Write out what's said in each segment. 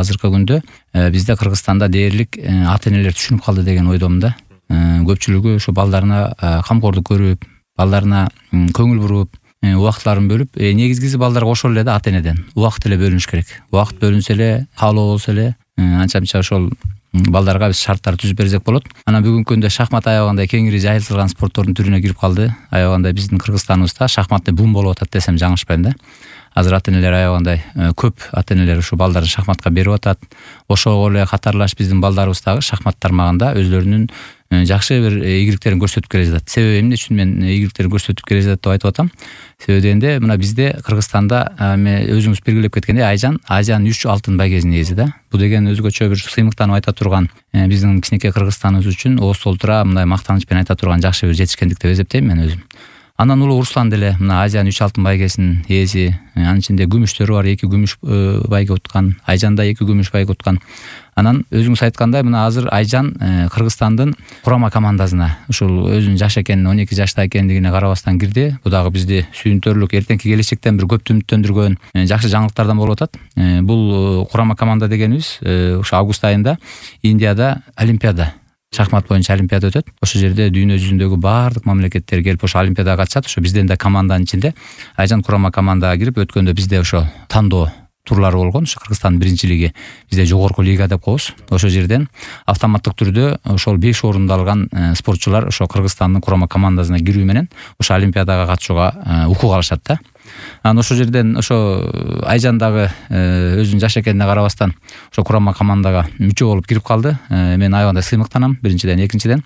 азыркы күндө бизде Кыргызстанда дээрлик ата энелер түшүнүп калды деген ойдомун да. Көпчүлүгү ошо балдарына камкордук көрүп, балдарына көңүл буруп, убакытларын бөлүп, негизгиси балдарга ошол эле да ата энеден убакыт эле бөлүнүш керек. Убакыт бөлүнсө эле, каалоо болсо эле, анча-мынча ошол балдарга биз шарттар түзүп берсек болот. Анан бүгүнкү күндө шахмат аябагандай кеңири жайылтылган спорттордун түрүнө кирип калды. Аябагандай биздин Кыргызстаныбызда шахматный бум болуп атат десем жаңылышпайм да. Азыр ата энелер аябагандай көп ата энелер ушу балдарын шахматка берип атат. Ошого эле катарлаш биздин балдарыбыз дагы шахмат тармагында өзлөрүнүн жакшы бир ийгиликтерин көрсөтүп келе жатат. Себеби эмне үчүн мен ийгиликтерин көрсөтүп келе жатат деп айтып атам? Себеби дегенде мына бизде Кыргызстанда өзүңүз белгилеп кеткендей Айжан Азиянын 3 алтын байгесинин ээси да. Бул деген өзгөчө бир сыймыктанып айта турган биздин кичинекей Кыргызстаныбыз үчүн ооз толтура мындай мактаныч менен айта турган жакшы бир жетишкендик деп эсептейм мен өзүм. Анан улуу Руслан деле мына Азиянын 3 алтын байгесинин ээси, анын ичинде күмүштөрү бар, 2 күмүш байге уткан, Айжан да 2 күмүш байге уткан. Анан өзүңүз айткандай мына азыр Айжан Кыргызстандын курама командасына ушул өзүнүн жаш экенин, 12 жашта экендигине карабастан кирди. Бул дагы бизди сүйүнтөрлүк, эртеңки келечектен бир көп үмүттөндүргөн жакшы жаңылыктардан болуп атат. Бул курама команда дегенибиз ушу август айында Индияда олимпиада, шахмат боюнча олимпиада өтөт. Ошол жерде дүйнө жүзүндөгү баардык мамлекеттер келип ошо олимпиадага катышат. Ошо бизден да команданын ичинде Айжан курама командага кирип, өткөндө бизде ошо тандоо турлары болгон. Ошо Кыргызстандын биринчи лиги, бизде жогорку лига деп коебуз. Ошол жерден автоматтык түрдө ошол 5 орунду алган спортчулар ошо Кыргызстандын курама командасына кирүү менен ошо олимпиадага катышууга укук алышат да. Анан ошол жерден ошо Айжан дагы өзүнүн жаш экенине карабастан ошо курама командага мүчө болуп кирип калды. Мен аябагандай сыймыктанам биринчиден, экинчиден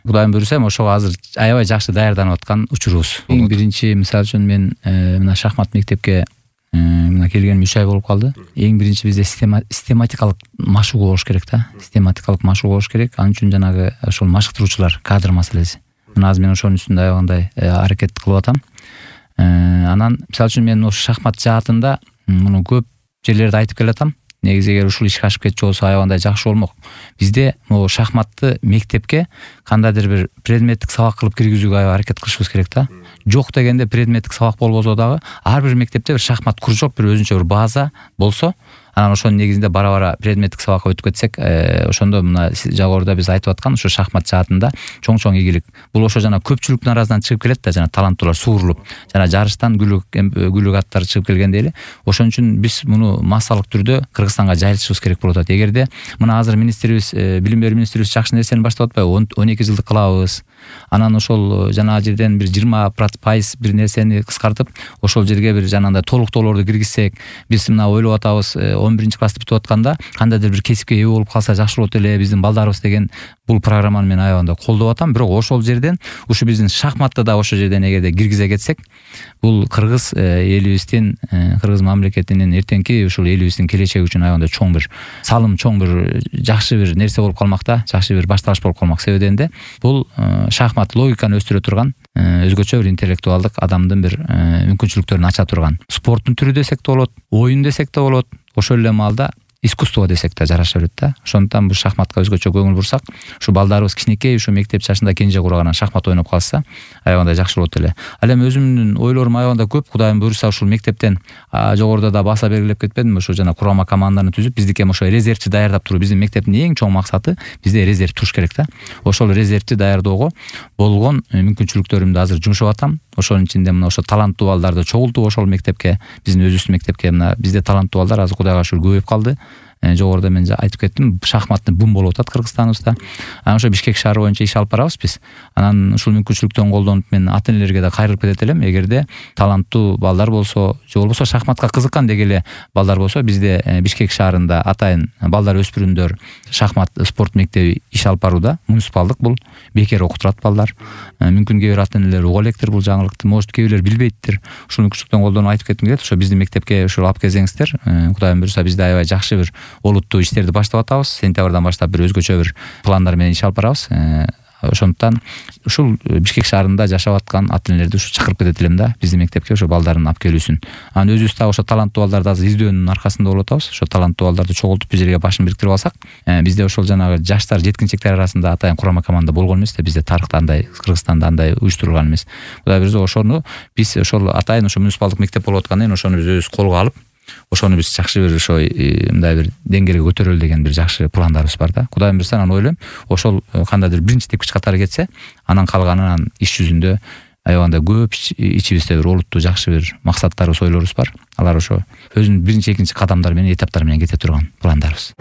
Кудайым буйруса ошого азыр аябай жакшы даярданып аткан учурубуз. Эң биринчи мисалы үчүн мен мына шахмат мектепке мына келгеним 3 ай болуп калды. Эң биринчи бизде систематикалык машыгуу болуш керек да. Систематикалык машыгуу болуш керек. Анын үчүн жанагы ошол машыктыруучулар, кадр маселеси. Мына азыр мен ошонун үстүндө аябагандай аракет кылып атам. Анан мисалы үчүн мен ошо шахмат жаатында муну көп жерлерде айтып келатам. Негизи эгер ушул ишке ашып кетчү болсо аябагандай жакшы болмок. Бизде могу шахматты мектепке кандайдыр бир предметтик сабак кылып киргизүүгө аябай аракет кылышыбыз керек да. Жок дегенде предметтик сабак болбосо дагы ар бир мектепте бир шахмат кружок, бир өзүнчө бир база болсо, анан ошонун негизинде бара-бара предметтик сабакка өтүп кетсек, ошондо мына жогоруда биз айтып аткан ошо шахмат жаатында чоң-чоң ийгилик. Бул ошо жана көпчүлүктүн арасынан чыгып келет да, жана таланттуулар суурулуп, жана жарыштан гүлүк аттар чыгып келгенде эле. Ошон үчүн биз муну массалык түрдө Кыргызстанга жайылтышыбыз керек болуп атат. Эгерде мына азыр министрибиз, билим берүү министрибиз жакшы нерсени баштап атпайбы? 12 жылдык кылабыз. Анан ошол жана жерден бир 20% бир нерсени кыскартып, ошол жерге бир жанагындай толуктоолорду киргизсек, биз мына ойлоп атабыз, 11 классты бүтүп атканда кандайдыр бир кесипке ээ болуп калса жакшы болот эле биздин балдарыбыз деген бул программаны мен аябагандай колдоп атам. Бирок ошол жерден ушу биздин шахматты да ошол жерден эгерде киргизе кетсек, бул кыргыз элибиздин, кыргыз мамлекетинин эртеңки ушул элибиздин келечеги үчүн аябагандай чоң бир салым, чоң бир жакшы бир нерсе болуп калмак да, жакшы бир башталыш болуп калмак. Себеби дегенде бул шахмат логиканы өстүрө турган, өзгөчө бир интеллектуалдык адамдын бир мүмкүнчүлүктөрүн ача турган спорттун түрү десек да болот, оюн десек да болот, ошол эле маалда искусство десек да жараша берет да. Ошондуктан бул шахматка өзгөчө көңүл бурсак, ушу балдарыбыз кичинекей ушу мектеп жашында кенже кураган шахмат ойноп калса, аябагандай жакшы болот эле. Ал эми өзүмдүн ойлорум аябагандай көп. Кудайым буйруса ушул мектептен жогоруда да баса белгилеп кетпедимби, ушу жана курама команданы түзүп, биздики эми ошо резервчи даярдап туруу. Биздин мектептин эң чоң максаты бизде резерв туруш керек да. Ошол резервчи даярдоого болгон мүмкүнчүлүктөрүмдү азыр жумшап атам. Ошонун ичинде мына ошо таланттуу балдарды чогултуп ошол мектепке, биздин өзүбүздүн мектепке, мына бизде таланттуу балдар азыр Кудайга шүгүр көбөйүп калды. Жогоруда мен айтып кеттим, шахматный бум болуп атат Кыргызстаныбызда. Анан ошо Бишкек шаары боюнча иш алып барабыз биз. Анан ушул мүмкүнчүлүктөн колдонуп мен ата энелерге да кайрылып кетет элем. Эгерде таланттуу балдар болсо, же болбосо шахматка кызыккан дегеле балдар болсо, бизде Бишкек шаарында атайын балдар өспүрүмдөр шахмат спорт мектеби иш алып барууда. Муниципалдык, бул бекер окутурат балдар. Мүмкүн кээ бир ата энелер уга электир бул жаңылыкты, может кээ бирлер билбейттир. Ушул мүмкүнчүлүктөн колдонуп айтып кетким келет. Ошо биздин мектепке ушул алып келсеңиздер, Кудайым буйруса бизде аябай жакшы бир олуттуу иштерди баштап атабыз. Сентябрдан баштап бир өзгөчө бир пландар менен иш алып барабыз. Ошондуктан ушул Бишкек шаарында жашап аткан ата энелерди ушу чакырып кетет элем да, биздин мектепке ошо балдарын алып келүүсүн. Анан өзүбүз дагы ошо таланттуу балдарды азыр издөөнүн аркасында болуп атабыз. Ошо таланттуу балдарды чогултуп бир жерге башын бириктирип алсак, бизде ошол жанагы жаштар, жеткинчектер арасында атайын курама команда болгон эмес да, бизде тарыхта андай, Кыргызстанда андай уюштурулган эмес. Кудай буйруса ошону биз ошол атайын ошо муниципалдык мектеп болуп аткандан кийин ошону биз өзүбүз колго алып, ошону биз жакшы бир ошо мындай бир деңгээлге көтөрөлү деген бир жакшы пландарыбыз бар да. Кудайым буюрса, анан ойлойм, ошол кандайдыр биринчи тепкич катары кетсе, анан калганын иш жүзүндө аябаганда көп ичибизде бир олуттуу жакшы бир максаттарыбыз, ойлорубуз бар. Алар ошо өзүнүн биринчи, экинчи кадамдары менен, этаптары менен кете турган пландарыбыз.